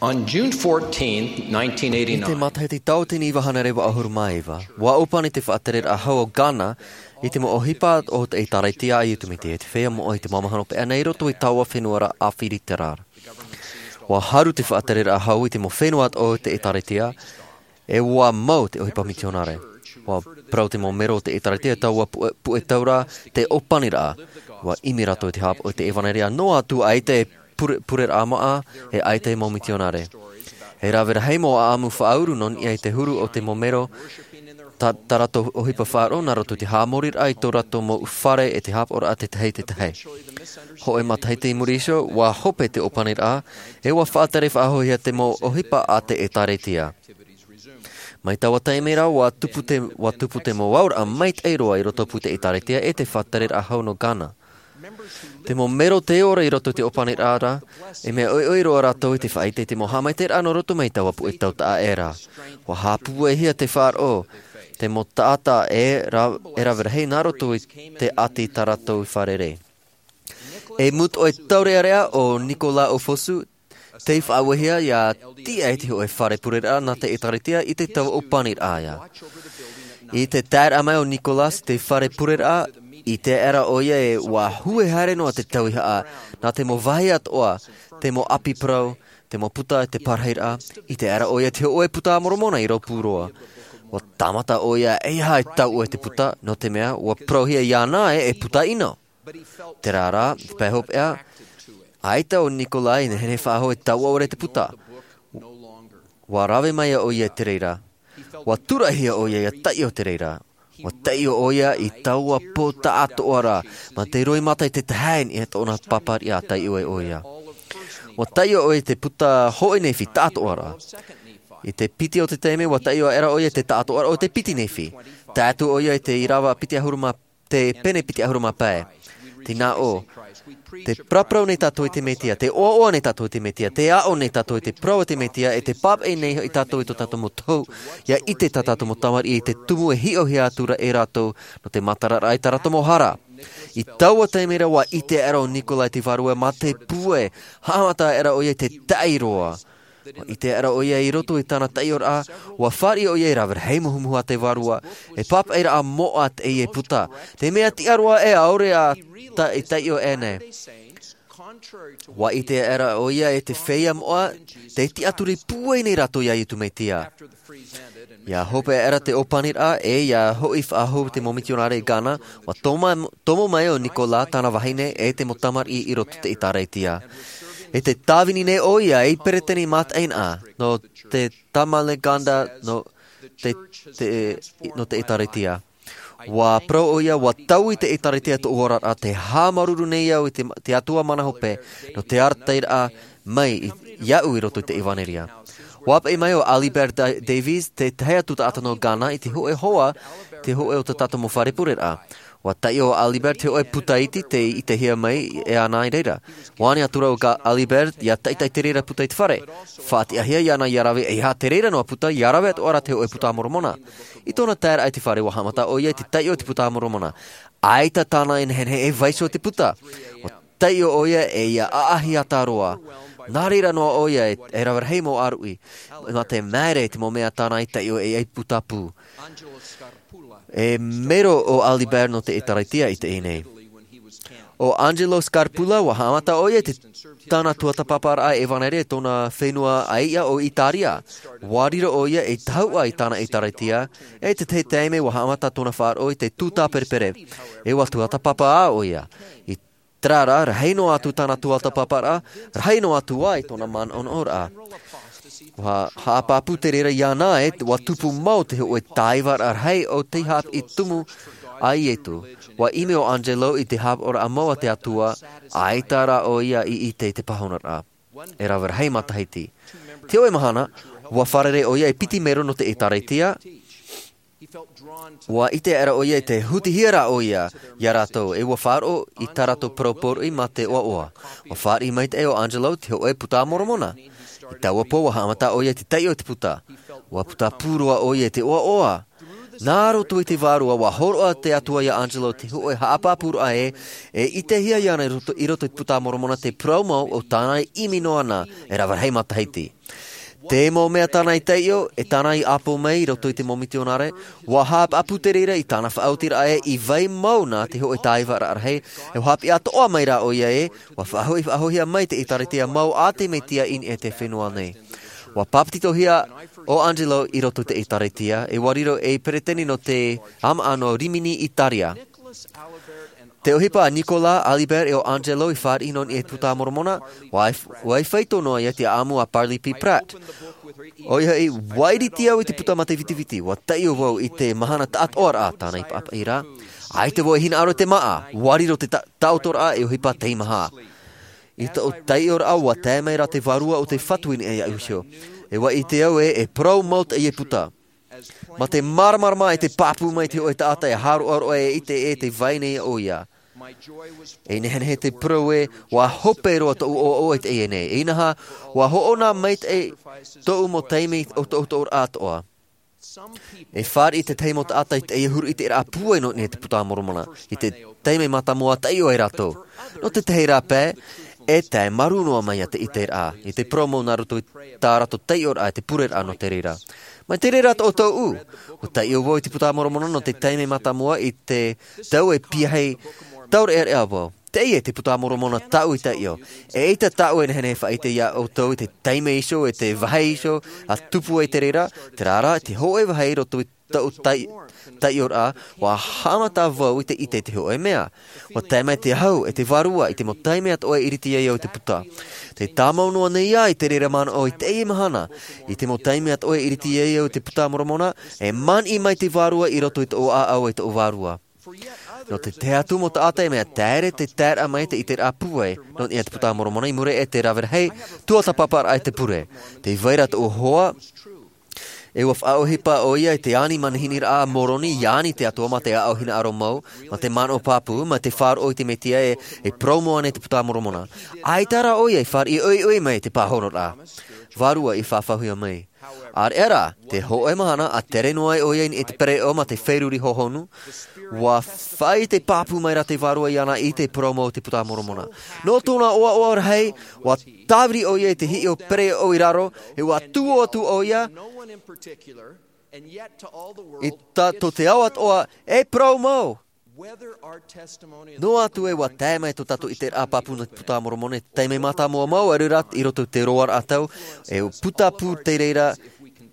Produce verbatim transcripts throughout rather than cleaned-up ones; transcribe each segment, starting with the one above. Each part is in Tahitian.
On June fourteenth, nineteen eighty-nine, I te matahiti tauatini iva hānere vaʻu ʻahuru mā iva, ua ʻōpani te faʻatereraʻa hau o Ghana i te mau ʻohipa o te ʻĒtārētia a Iesu Mesia, te feiā moʻa i te mau mahana paʻi nei i roto i taua fenua ra ʻAfirika ra. Ua haru te faʻatereraʻa hau i te mau fenua o te ʻĒtārētia, e ua mau te ʻohipa mitionare. Ua parau te mau mero o te ʻĒtārētia taua puʻe, puʻe tau ra te ʻōpaniraʻa. Ua ʻimi rātou i te hāpaʻo i te ʻevanelia noa atu ʻaita e pure, pureraʻa maʻa, e ʻaita e mau mitionare. E rave rahi mau ʻāʻamu faʻauru nō niʻa i te huru o te mau mero, tā, tā rātou ʻohipa faʻaroʻo nā roto i te haʻamoriraʻa i tō rātou mau fare e te hāpaʻoraʻa tētahi, tētahi. Hōʻē matahiti i muri iho, ua hope te ʻōpaniraʻa, e ua faʻatere faʻahouhia te mau ʻohipa a te ʻĒtārētia. Mai taua taime ra, ua tupu te, ua tupu te mau auraʻa maitaʻi roa i roto pū te ʻĒtārētia e te faʻatereraʻa hau nō Ghana. Te mau mero tē ora i roto i te ʻōpaniraʻa ra, e mea ʻoiʻoi roa rātou i te faʻaʻite i te mau haʻamaitaʻiraʻa nō roto mai taua puʻe tau taʻa ʻē ra. Ua haʻapūaihia te faʻaroʻo, te mau taʻata e ra-, e rave rahi nā roto i te ʻati tā rātou i fārerei. E mūtoʻi taureʻareʻa ʻo Nicolas Ofosu, tei faʻauehia ʻia tiʻa i te hōʻē fare pureraʻa nā te ʻĒtārētia i te tau ʻōpaniraʻa ia. I te taeraʻa mai o Nicolas i te fare pureraʻa, ʻite aʻera ʻoia e ua hue haere noa te tauihaʻa, nā te mau vāhi atoʻa, te mau ʻapi parau, te mau puta, te parahiraʻa, ʻite aʻera ʻoia te hōʻē puta a Moromona i rōpū roa. Ua tāmata ʻoia e ʻeiaha e taiʻo i te puta, nō te mea, ua parauhia iāna ē e puta ʻino. Terā rā, i te pae hopeʻa, ʻaita ʻo Nicolas i nehenehe faʻahou e taiʻo ʻore i te puta. Ua rave mai ʻoia i te reira. Ua tūraʻihia ʻoia ʻia taiʻo i te reira. Ua taiʻo ʻoia i taua pō taʻatoʻa ra, mā te roimata i te tahi i niʻa i tōna pāpāriʻa taiʻo ai ʻoia. Ua taiʻo ʻoia i te puta hōʻē nefi taʻatoʻa ra. I te piti o te taime, ua taiʻo aʻera ʻoia i te taʻatoʻa ra o te piti nefi. Tae atu ʻoia i te ʻīrava piti ʻahuru mā te pene piti ʻahuru mā pae. Tē nā ʻō, tē paraparau nei tātou i te Mesia, tē ʻoaʻoa nei tātou i te Mesia, tē aʻo nei tātou i te parau a te Mesia, e tē pāpaʻi nei hoʻi tātou i tō tātou mau tohu, ʻia ʻite tā tātou mau tamariʻi i te tumu e hiʻohia atu ra e rātou, nō te mātararaʻa i tā rātou mau hara. I taua taime ra ua ʻite aʻera ʻo Nicolas i te Vārua mā te pūai, haʻamata aʻera ʻoia i te taʻi roa. Ua ʻite aʻera ʻoia i roto i tāna taiʻoraʻa, ua fāriʻi ʻoia i rave rahi muhumuhu a te Vārua, e pāpaʻiraʻa moʻa teie puta. Te mea tiʻa roa ē ʻaore ā ta-, e taiʻo ʻē nei. Ua ʻite aʻera ʻoia e te feiā moʻa, tē tiʻaturi pūai nei rātou iā Iesu Mesia. ʻIa hope aʻera te ʻōpaniraʻa, e ʻia hoʻi faʻahou te mau mitionare i Ghana, ua toma-, tomo mai ʻo Nicolas tāna vahine e te mau tamariʻi i roto i te ʻĒtārētia. E tē tāvini nei ʻoia ei peresideni mātaʻina nō te Tamaleganda nō te, te, nō te ʻĒtārētia. Ua parau ʻoia, ua taui te ʻĒtārētia i tōʻu oraraʻa, tē haʻamāuruuru nei au i te, te Atua mana hope, nō te arataʻiraʻa mai i, iāʻu i roto i te ʻevanelia. Ua ʻāpaʻi mai ʻo Alibert Da-, Davies, te tahi atu taʻata nō Ghana, i te hōʻē hoa, te hōʻē o tā tātou mau fare pureraʻa. Ua taiʻo ʻo Alibert te hōʻē puta iti tei ʻitehia mai e ana i reira. Ua ani atura ʻo Ga-, Alibert, ʻia taʻitaʻi te reira puta i te fare. Faʻatiʻahia iāna ʻia rave, ʻeiaha te reira noa puta, ʻia rave atoʻa ra te hōʻē puta a Moromona. I tōna taeraʻa i te fare, ua haʻamata ʻoia i te taiʻo i te puta a Moromona. ʻAita tāna e nehenehe e vaiiho i te puta. Ua taiʻo ʻoia e ʻia ʻaʻahi ata roa. Nā reira noa ʻoia e, e rave rahi mau ʻāruʻi. Mā te māere i te mau mea tāna i taiʻo e ʻia putapū. E mero ʻo Alibert nō te ʻĒtārētia i teie nei. ʻO Angelo Scarpulla, ua haʻamata ʻoia i te, tāna tuatāpaparaʻa ʻevanelia i tōna fenua ʻāiʻa ʻo Itaria. Ua riro ʻoia ei tahuʻa i tāna ʻĒtārētia, e i te tahi taime ua haʻamata tōna faʻaroʻo i te tūtāperepere. E ua tuatāpapa ā ʻoia. I terā rā, rahi noa atu tāna tuatāpaparaʻa, rahi noa atu ā i tōna manaʻonaʻoraʻa. Ua haʻapāpū te reira iāna ē, ua tupu mau te hōʻē tāivaraʻa rahi o tei haʻapiʻi tumu a Iesu. Ua ʻimi ʻo Angelo i te hāpaʻoraʻa mau a te Atua, ʻaita rā ʻoia i ʻite i te pāhonoraʻa. E rave rahi matahiti. Te hōʻē mahana, ua fārerei ʻoia e piti mero nō te ʻĒtārētia, ua ʻite aʻera ʻoia i te hutihia rā ʻoia iā rātou, e ua faʻaroʻo i tā rātou parau pōroʻi mā te ʻoaʻoa. Ua fāriʻi maitaʻi ʻo Angelo te hōʻē puta a Moromona. I taua pō ua haʻamata ʻoia i te taiʻo i te puta. Ua putapū roa ʻoia i te ʻoaʻoa. Nā roto i te vārua, ua hōroʻa te Atua iā Angelo te hōʻē haʻapāpūraʻa ē, e ʻitehia iāna i roto, i roto i te Puta a Moromona te parau mau o tāna e ʻimi noa na, e rave rahi matahiti. Te mau mea tāna i taiʻo, e tāna i ʻāpō mai i roto i te mau mitionare, ua haʻapāpū te reira i tāna faʻaotiraʻa ē, i vai mau na te hōʻē tāivaraʻa rahi, e haʻapiʻi atoʻa mai rā ʻoia ē, ua faʻahoʻi, faʻahoʻihia mai te ʻĒtārētia mau a te Mesia i niʻa i te fenua nei. Ua papetitohia ʻo Angelo i roto i te ʻĒtārētia, e ua riro ei peretiteni nō te ʻāmaʻa nō Rimini, Itaria. Te ʻohipa a Nicolas, Alibert e ʻo Angelo i fāriʻi nō niʻa i te Puta a Moromona, ua, ua faito noa ia te ʻāʻamu a Parley P. Pratt. ʻOia hoʻi, ua ʻiriti au i te puta mā te vitiviti, ua taiʻo vau i te mahana taʻatoʻaraʻa, tāna i paʻapaʻi ra. ʻAita vau e hinaʻaro i te māʻa, ua riro te ta-, taʻotoraʻa e ʻohipa teimaha. I tōʻu taiʻoraʻa, ua tae mai rā te Vārua o te Fatu i niʻa iāʻu iho. E ua ʻite au ē, e parau mau teie puta. Mā te māramarama e te pāpū mai te hōʻē taʻata e haroʻaroʻa e ʻite ē tē vai nei ʻoia. E nehenehe te parau ē, ua hope roa tōʻu ʻoaʻoa i teie nei. Inaha, ua hoʻona maitaʻi tōʻu mau taime o tōʻu, tōʻu ʻoaʻoa atoʻa. E fāriʻi te tahi mau taʻata i teie huru ʻiteraʻa pūai nō niʻa i te Puta a Moromona. I te taime mātāmua taiʻo ai rātou. Nō te tahi rā pae, e tae marū noa mai ia te ʻiteraʻa, i te parau mau nā roto i tā rātou taiʻoraʻa, i te pureraʻa nō te reira. Mai te reira tōʻu, ua taiʻo vau i te Puta a Moromona nō te taime mātāmua i te tau e piahi taureʻareʻa vau. Teie te Puta a Moromona tāʻu i taiʻo. ʻEita tāʻu e nehenehe e faʻaʻite iā ʻoutou i te taime iho, e te vāhi iho, a tupu ai te reira, terā rā, te hōʻē vāhi i roto i tōʻu tai-, taiʻoraʻa, ua haʻamata vau i te ʻite i te hōʻē mea. Ua tae mai te ahu, e te Vārua, i te mau taime atoʻa e ʻiriti ai au i te puta. Tē tāmau noa nei au i te reira manaʻo i teie mahana, i te mau taime atoʻa e ʻiriti ai au i te Puta a Moromona, e maniʻi mai te Vārua i roto i tōʻu ʻāʻau e tōʻu vārua. Nō te tahi atu mau taʻata e mea taere te taeraʻa mai te ʻiteraʻa pūai, nō niʻa i te Puta a Moromona i muri i te rave rahi, tuatāpaparaʻa i te pure. Tē vai ra tōʻu hoa, e ua faʻaʻohipa ʻoia i te ani manihiniraʻa a Moroni, ʻia ani te Atua mā te ʻāʻau hinaʻaro mau, mā te manaʻo pāpū, mā te faʻaroʻo i te Mesia e, e parau mau ana i te Puta a Moromona. ʻAita rā ʻoia i fāriʻi ʻoiʻoi mai i te pāhonoraʻa. Vārua i fafauhia mai. ʻĀreʻa rā, te hōʻē mahana, ʻa tere noa ai ʻoia i niʻa i te pereʻoʻo mā te feruri hōhonu, ua faʻaʻite pāpū mai rā te Vārua iāna i te parau mau o te Puta a Moromona. Nō tōna ʻoaʻoa rahi, ua tāviri ʻoia i te hiʻo pereʻoʻo i raro, e ua tuō atu ʻoia, i tā, tō te ao atoʻa, e parau mau. Noa atu ē ua tae mai tō tātou ʻiteraʻa pāpū nō te Puta a Moromona, taime mātāmua mau, ʻaore rā i roto i te roaraʻa tau, e putapū te reira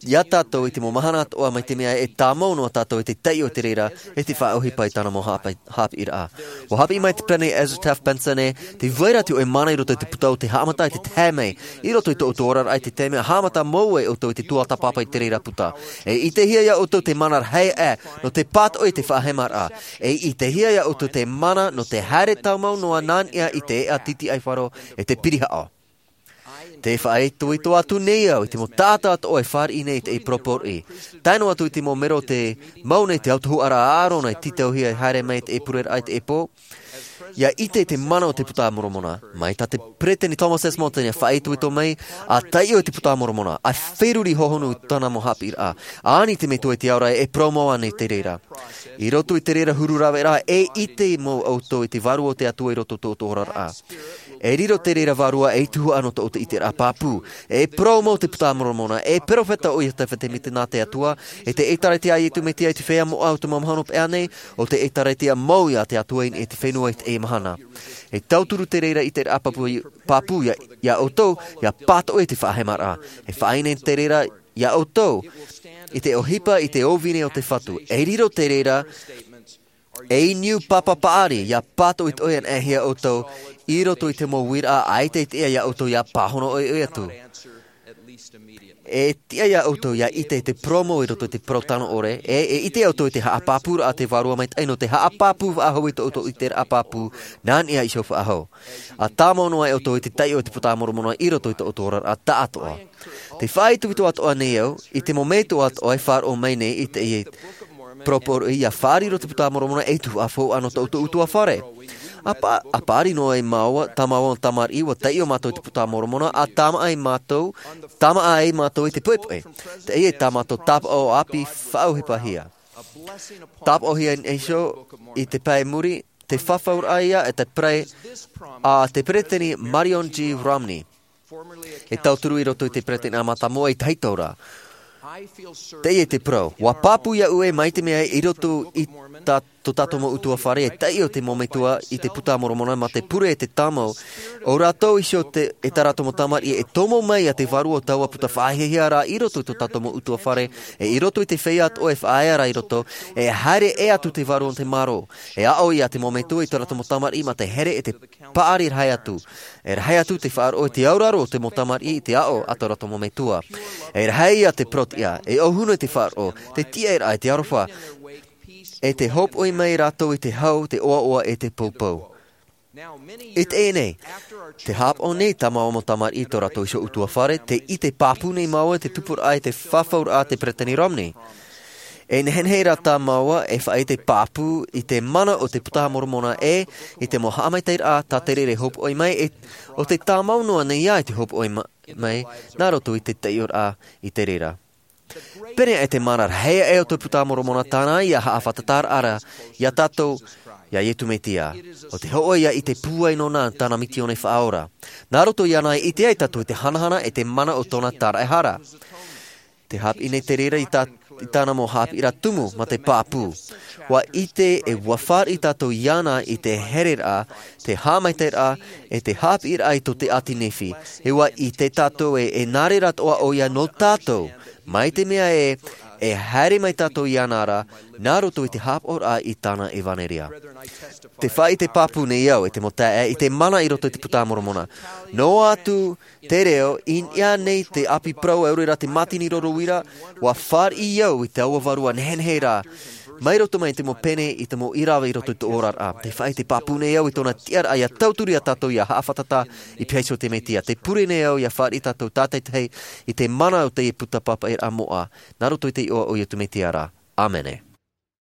iā tātou i te mau mahana atoʻa, mai te mea e tāmau noa tātou i te taiʻo i te reira, e te faʻaʻohipa i tāna mau haʻapaʻi-, haʻapiʻiraʻa. Ua haʻapiʻi mai te pene Ezra Taft Benson ē, tē vai ra te hōʻē mana i roto i te puta o te haʻamata i te tae mai, i roto i tō ʻoutou oraraʻa i te taime, haʻamata mau ai ʻoutou i te tuatāpapa i te reira puta. E ʻitehia iā ʻoutou te mana rahi aʻe, nō te pātoʻi i te faʻahemaraʻa. E ʻitehia iā ʻoutou te mana nō te haere tāmau noa nā niʻa i te eʻa titiʻaifaro e te pirihaʻo. Tē faʻaitoito atu nei au i te mau taʻata atoʻa e fāriʻi nei i te pōropōroʻi. Tae noa atu i te mau mero o tē mau nei te autahuʻaraʻa a ʻĀrona e tītauhia e haere mai i te pureraʻa i te pō. ʻIa ʻite i te mana o te Puta a Moromona. Mai tā te Peresideni Thomas S. Monson e faʻaitoito mai, ʻa taiʻo i te Puta a Moromona, ʻa feruri hōhonu i tāna mau haʻapiʻiraʻa, ʻa ani te Metua i te ao ra e parau mau ana i te reira. I roto i te reira huru raveraʻa, e ʻite mau ʻoutou i te Vārua o te Atua i roto i tō ʻoutou oraraʻa. E riro te reira Vārua ei tuhaʻa nō tō ʻoutou ʻiteraʻa pāpū. E parau mau te Puta a Moromona, e perofeta ʻo Iosefa Semita nā te Atua, e te ʻĒtārētia a Iesu Mesia i te feiā moʻa o te mau mahana pea nei, ʻo te ʻĒtārētia mau iā te Atua i niʻa i te fenua i teie mahana. E tauturu te reira ʻiteraʻa pāpū, pāpū iā, iā ʻoutou, ʻia pātoʻi i te faʻahemaraʻa. E faʻaʻite te reira iā ʻoutou, i te ʻohipa, i te ʻōvini o te Fatu. E riro te reira ei niu papa paʻari, ʻia pātoʻitoʻi anaʻe hia ʻoutou, i roto i te mau uiraʻa, ʻaita e tiʻa iā ʻoutou ʻia pāhono ʻoiʻoi atu. E tiʻa iā ʻoutou ʻia ʻite i te parau mau i roto i te parau tano ʻore, e, e ʻite ʻoutou i te haʻapāpūraʻa a te Vārua Maitaʻi nō te haʻapāpū faʻahou i tō ʻoutou ʻiteraʻa pāpū, nā niʻa iho faʻahou. ʻA tāmau noa ʻoutou i te taiʻo i te Puta a Moromona i roto i tō ʻoutou oraraʻa taʻatoʻa. Tē faʻaitoito atoʻa nei au, i te mau metua atoʻa e faʻaroʻo mai nei i teie pōropōroʻi ʻia fārerei i te Puta a Moromona ei tuhaʻa faufaʻa nō tō ʻoutou ʻutuāfare. ʻA pā-, ʻa pāʻari noa ai māua, tā māua tamariʻi, ʻua taiʻo mātou i te Puta a Moromona, ʻa tāmāʻa ai mātou, tāmāʻa ai mātou i te poʻipoʻi. Teie tā mātou tāpaʻo ʻāpī faʻaʻohipahia. Tāpaʻohia nei iho i te pae muri, te fafauraʻa ia e te pereʻe a te peresideni Marion G. Romney, e tauturu i roto i te peresideni a mātamua i tahito ra. Teie te parau, ua pāpū iaʻu e mai te mea i roto i tā tō tātou mau utuafare e taiʻo te mau metua i te puta a moromona mā te pure e te tāmau, o rātou iho e tā rātou mau tamariʻi e tomo mai ia te vārua o taua puta faʻahiahia rā i roto i tō tātou mau utuafare, e i roto i te feiā atoʻa e faʻaea ra i roto, e haere ʻē atu te vārua o te mārō, e aʻo ia te mau metua i tō rātou mau tamariʻi mā te here e te paʻari rahi atu. E rahi atu te faʻaroʻo i te auraro o te mau tamariʻi i te aʻo a tō rātou mau metua. E rahi ia te porotiʻa, e ʻōhuna i te faʻaroʻo, te tiʻairaʻa e te aroha, e te hopoʻi mai rātou i te hau, te ʻoaʻoa e te poupou. I teie nei, te hāpaʻo nei tā māua mau tamariʻi i tō rātou iho utuafare, te ʻite pāpū nei māua i te tupuraʻa e te fafauraʻa a te peresideni Romney. E nehenehe rā tā māua e faʻaʻite pāpū i te mana o te puta a moromona e i te mau haʻamaitaʻiraʻa tā te reira e hopoʻi mai, e o te tāmau noa nei ia i te hopoʻi mai nā roto i te taiʻoraʻa i te reira. Pēneiaʻe te mana rahi aʻe o te puta a moromona tāna ia haʻafātata ra ia tātou, ia iesu mesia. O te hoʻo ia i te pūai nōna tāna misioni faʻaora, nā roto iāna e ʻite ai tātou i te hanahana e te mana o tōna tāraʻehara. Te hāpiʻi nei te reira i tāna mau hāpiʻiraʻa tumu mā te pāpū. Ua ʻite e ua fāriʻi tātou iāna i te hereraʻa, te haʻamaitaʻiraʻa, e te hāpiʻiraʻa i tō te ʻati nehenehe. E ua ʻite tātou e e nā reira atoʻa ʻo ia nō tātou, mai te mea e e haere mai tātou iāna ra nā roto i te hāpaʻoraʻa i tāna ʻevanelia. Te faʻaʻite pāpū nei au e te mau taeaʻe i te mana i roto i te puta a moromona. Noa atu te reo i niʻa nei te ʻāpī parau e ʻore rā te mātini roro uira, ua fāriʻi au i taua vārua nehenehe rā, mai roto mai i te mau pene i te mau ʻīrava i roto i tō oraraʻa. Te faʻaʻite pāpū nei au i tōna tiʻaraʻa ia tauturu ia tātou ia haʻafātata i pīhaʻi iho te mesia. Te pure nei au ia fāriʻi tātou tātaitahi i te mana o te puta pāpaʻiraʻa moʻa, nā roto i te iʻoa o iesu mesia ra. ʻĀmene.